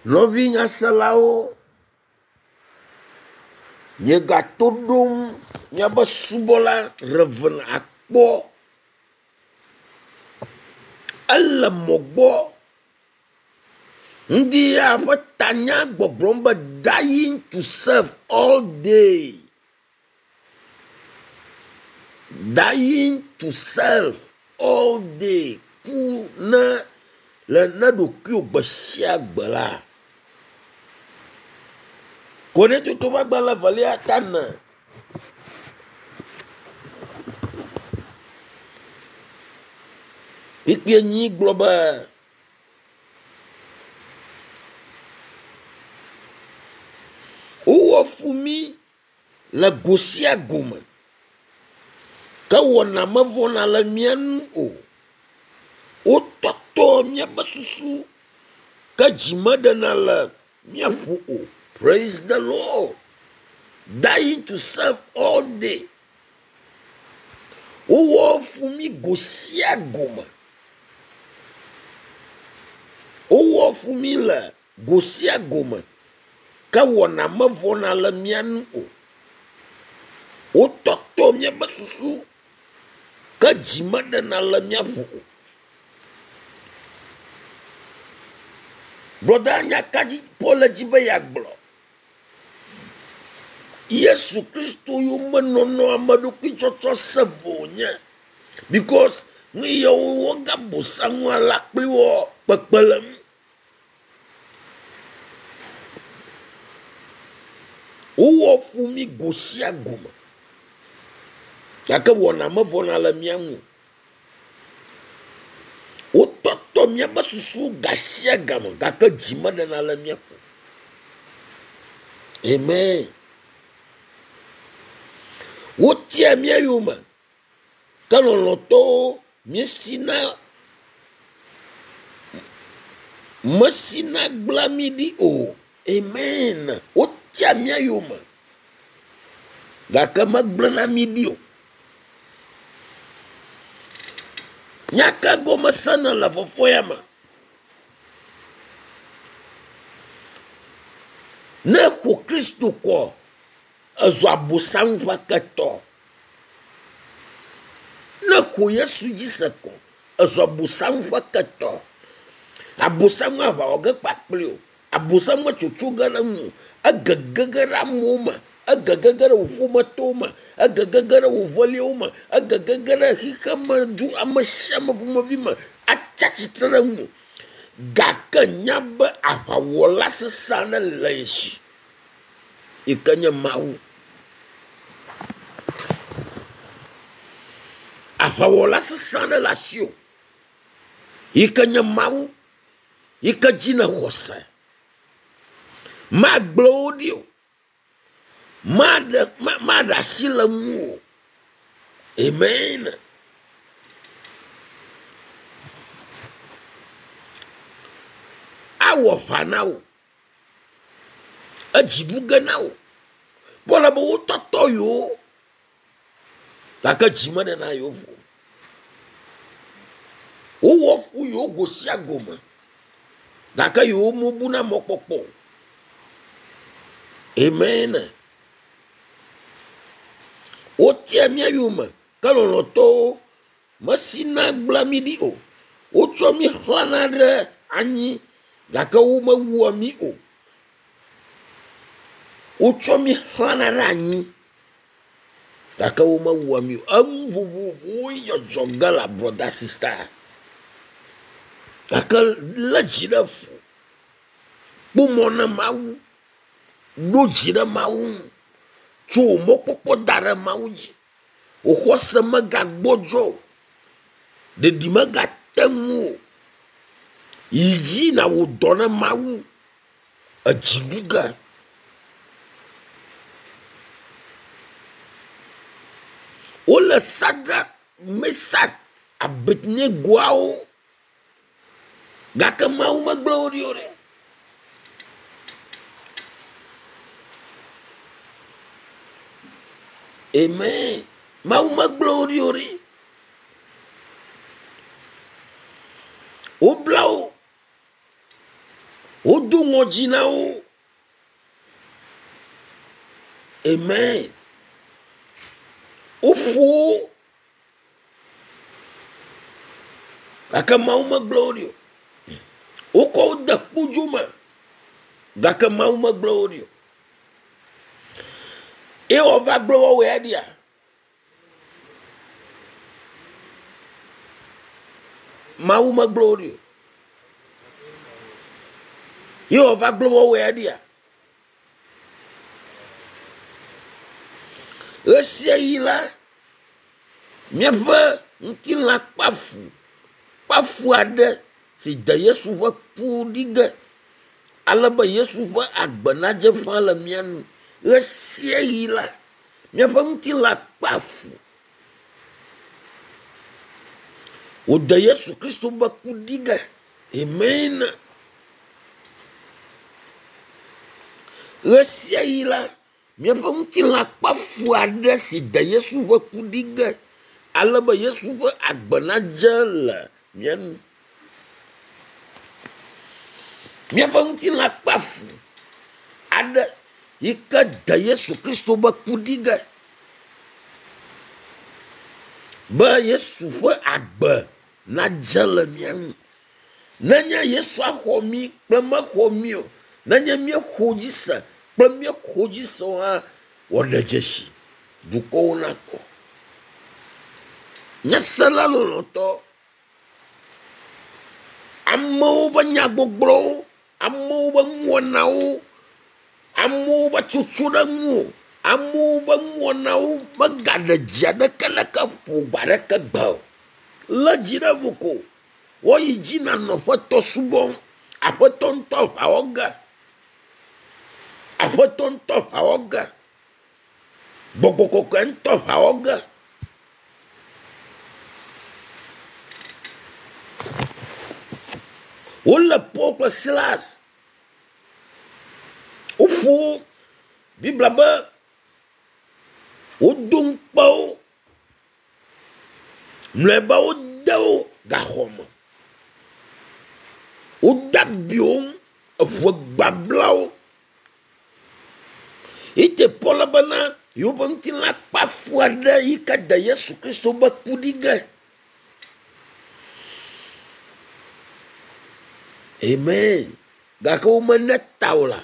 Nɔvi nyaselawo, miegato ɖom miabe subɔla Rev. Akpɔ. Ele mɔ gbɔ. Ŋdi ya ƒe tanya gbɔgblɔm be dying to self all day. Dying to self all day. Ku ne le ne ɖokuiwò gbe sia gbe la. Korintoto ƒe agbalẽ evelia ta ene. Kpukpui enyi gblɔ be wowɔ fu mí le go sia go me ke wɔna mevɔna le mía ŋu o. Wotɔtɔ míaƒe susu ke dzi meɖena le mía ƒo o. Praise the Lord. Dying to serve all day. Wowɔ fu mí go sia go me. Wowɔ fu mí le go sia go me ke wɔna mevɔna le mía ŋu o. Wotɔtɔ míaƒe susu ke dzi meɖena le mía ƒo o. Brɔda nya ka dzi Paul le dzi be yeagblɔ? Yesu Kristo yomenɔnɔ ame ɖokui tsɔtsɔ se vo wònye because nu yawo wogabosam alea kpli wo kpekpe le ŋu. Wowɔ fu mí go sia go me gake wɔna mevɔna le mía ŋu o. Wotɔtɔ míaƒe susu gasiagame gake dzi meɖena le mía ƒo. Amen. Wotia mía yome ke lɔlɔ̃tɔwo míesina mesina gblẽa mí ɖi o. Amen. Wotia mía yome gake megblẽna mí ɖi o. Nya ka gɔme sena le vɔvɔ̃ ya me? Ne exo Kristo kɔ, ezu Abosam ƒe ketɔ. Ne exo Yesu dzi se kɔ, ezu Abosam ƒe ketɔ. Abosam aʋa wɔ ge kpakpli o. Abosam metsotso ge ɖe ŋu o. Egege ge ɖe amewo me, egege ge ɖe wò ƒometɔwo me, egege ge ɖe wò veliawo me, egege ge ɖe xexeme du ame sia ame ƒomevi me atsi atsitre ɖe ŋuwò. Gake nya be aʋawɔla sesẽ aɖe le ye si yi ke nye Mawu. Aʋawɔla sesẽ aɖe le asiwò yi ke nye Mawu yi ke dzi nèxɔ se. Magblẽ wò ɖi o. Maɖe maɖe asi le ŋuwò o. Amen. Awɔ ʋa na wò. Edzi ɖu ge na wò. Kpɔ ɖa be wotɔtɔ yewo gake dzi meɖena yewo ƒo o. Wowɔ fu yewo go sia go me gake yewo mebuna mɔkpɔkpɔ o. Amen. Wotia mía yome ke lɔlɔ̃tɔwo mesina gblẽa mí ɖi o. Wotsɔ mí xlãna ɖe anyi gake womewua mí o. Wotsɔ mí xlãna ɖe anyi gake womewua mí o. Enu vovovowo dzɔdzɔ ge le brɔda sista gake lé dzi ɖe ƒo. Kpɔ mɔ na Mawu, ɖo dzi ɖe Mawu ŋu, tso wò mɔkpɔkpɔ da ɖe Mawu dzi. Wò xɔse megagbɔdzɔ o. Ɖeɖi megate ŋu o. Yi dzi nàwɔ dɔ na Mawu edzi ɖu ge. Wole Sadrak, Mesak, Abednegoawo gake Mawu megblẽ wo ɖi o ɖe. Amen. Mawu megblẽ wo ɖi o ɖe. Wobla wo. Wodo ŋɔdzi na wo. Amen. Woƒo wo. Gake Mawu megblẽ wo ɖi o. Wokɔ wo de kpodzo me. Gake Mawu megblẽ wo ɖi o. Eye wòava gblẽ woawo ya ɖia? Mawu megblẽ wo ɖi o. Ye wòava gblẽ woawo ya ɖia? Ɣesiaɣi la, míaƒe ŋutilã kpea fu, kpea fu aɖe si de Yesu ƒe ku ɖi ge ale be Yesu ƒe agbe nadze ƒã le mía nu. Ɣesiaɣi la, míaƒe ŋutilã kpea fu. Wòde Yesu Kristo ƒe ku ɖi ge. Amen. Ɣesiaɣi la, míaƒe ŋutilã kpe fu aɖe si de Yesu ƒe ku ɖi ge ale be Yesu ƒe agbe nadze le mía nu. Míaƒe ŋutilã kpe fu aɖe yi ke de Yesu Kristo ƒe ku ɖi ge be Yesu ƒe agbe nadze le mía ŋu. Nenye Yesu axɔ mí kple mexɔ mí o, nenye míexɔ dzi se kple míexɔ dzi se o hã, wòaɖe dzesi dukɔwo nakpɔ. Nyasela lɔlɔ̃tɔ, amewo ƒe nyagbɔgblɔwo, amewo ƒe nuwɔnawo, amewo ƒe tsotso ɖe ŋuwò, amewo ƒe nuwɔnawo megaɖe dzi aɖeke ɖeke ƒo gbe aɖeke gbe o. Lé dzi ɖe ƒo ko. Woyi dzi nanɔ Aƒetɔ subɔm. Aƒetɔ ŋutɔ ʋa wɔ ge. Aƒetɔ ŋutɔ ʋa wɔ ge. Gbɔgbɔ kɔkɔe ŋutɔ ʋa wɔ ge. Wolé Paul kple Silas. Woƒo wo. Biblia be wodo ŋukpe wo. Mlɔeba wode wo gaxɔ me. Wode abi wo ŋu, eŋe gbabla wo. Yi te Paul bena yewoƒe ŋutilã kpe afu aɖe yi ke de Yesu Kristo be ku ɖi ge. Amen. Gake womene ta o la,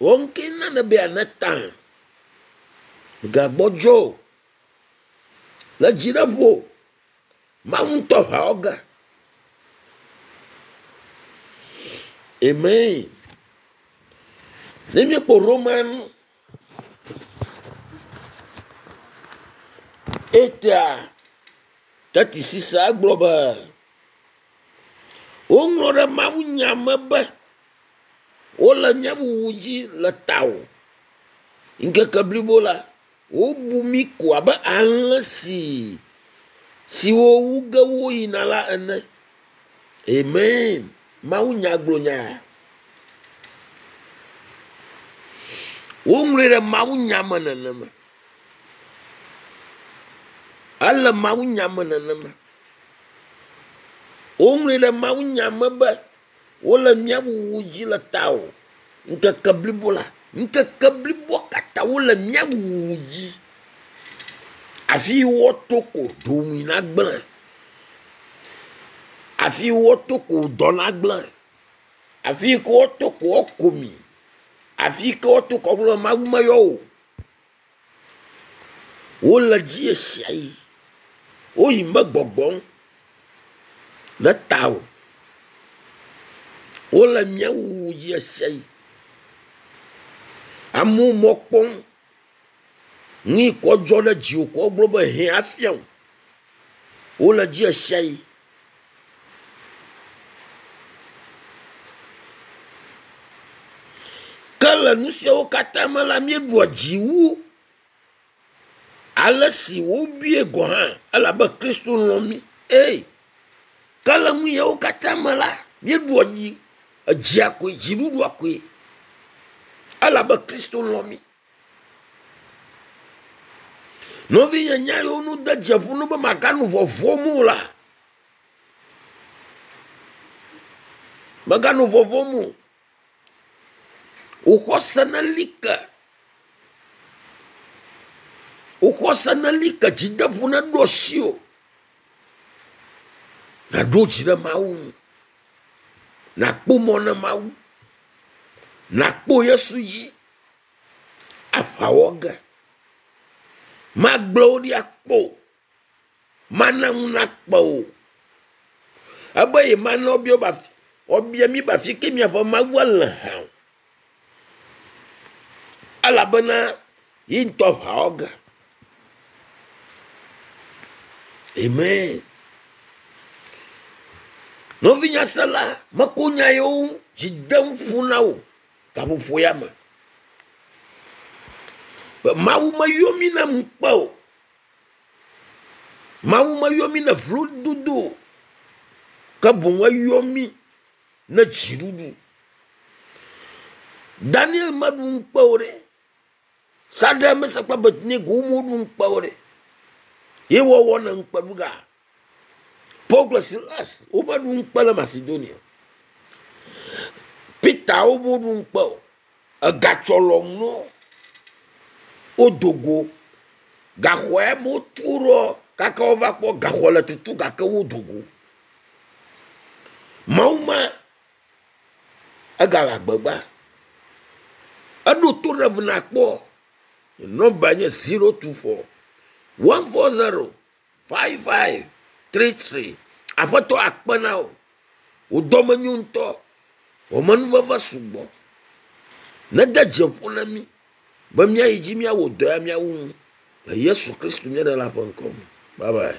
wò ŋkee nane be yeane ta. Mègagbɔdzɔ o. Le dzi ɖe ƒo. Mawu ŋutɔ ʋã wo ge. Amen. Ne míekpɔ Roman etea teti sisa egblɔ be woŋlɔ ɖe mawunya me be wole nye wuwu dzi le tawò. Ŋkeke blibo la, Wobu mí ko abe alẽ si siwo wu ge woyina la ene. Amen. Mawunya gblɔ nya. Woŋlɔe ɖe mawunya me nenema. Ele mawunya me nenema. Woŋlɔe ɖe mawunya me be Wole mía wuwu dzi le tawò ŋkeke blibo la. Ŋkeke bliboa katã wole mía wuwu dzi. Afi yi woato ko dowòmi nagblẽ. Afi yi woato ko dɔ nagblẽ. Afi yi ke woato ko woako mi. Afi yi ke woato ko woagblɔ be Mawu meyɔ wò o. Wole dzi ɣesiaɣi. Woyi me gbɔgbɔm ɖe tawò. Wole mía wuwu dzi ɣesiaɣi. Amewo mɔ kpɔm. Nu yi kɔ dzɔ ɖe dziwò ko wogblɔ be hɛ afia wò. Wole dzi ɣesiaɣi. Ke le nu siawo katã me la, míeɖua dzi wu ale si wobui gɔ̃ hã elabe Kristo lɔ̃ mí. Eye ke le nu yawo katã me la, míeɖua dzi, edzia koe, dziɖuɖua koe elabe Kristo lɔ̃ mí. Nɔvinye nya yiwo nu de dze ƒo nu be màganɔ vɔvɔ̃m o la, mèganɔ vɔvɔ̃m o. Wò xɔse neli ke. Wò xɔse neli ke dzideƒo neɖo asiwò. Nàɖo dzi ɖe Mawu ŋu. Nàkpɔ mɔ na Mawu. Nàkpɔ Yesu dzi aʋa wɔ ge. Magblẽ wò ɖi akpɔ o. Mana ŋu nakpe wò. Ebe yemana woabia be afi woabia mí be afi ke miaƒe Mawua le hã o. Elabena ye ŋutɔ ʋa wɔ ge. Amen. Nɔvinyasela, meko nya yewo dzi dem ƒo na wò gaƒoƒo ya me. Be Mawu meyɔ mí na ŋukpe o. Mawu meyɔ mí ne vlododo o, ke boŋ eyɔ mí ne dziɖuɖu. Daniel meɖu ŋukpe o ɖe. Sadrak, Mesak kple Abednego womeɖu ŋukpe o ɖe. Ye wɔwɔ ne ŋukpe ɖu ga. Paul kple Silas womeɖu ŋukpe le Macedonia. Peter womeɖu ŋukpe o. Egatsɔ lɔm no wodo go gaxɔe me wotu ɖo gake wova kpɔ gaxɔ le tutu gake wodo go. Mawu ma egale agbegba. Eɖo to ɖe ŋu nakpɔ. Nɔmba nye 024 140 5533. Aƒetɔ akpe na wò. Wò dɔme nyo ŋutɔ. Wò amenuveve sugbɔ. Nede dzi ƒo na mí be míayi dzi míawɔ dɔ ya míawu nu le Yesu Kristo mía Ɖela ƒe ŋkɔ me. Bye bye.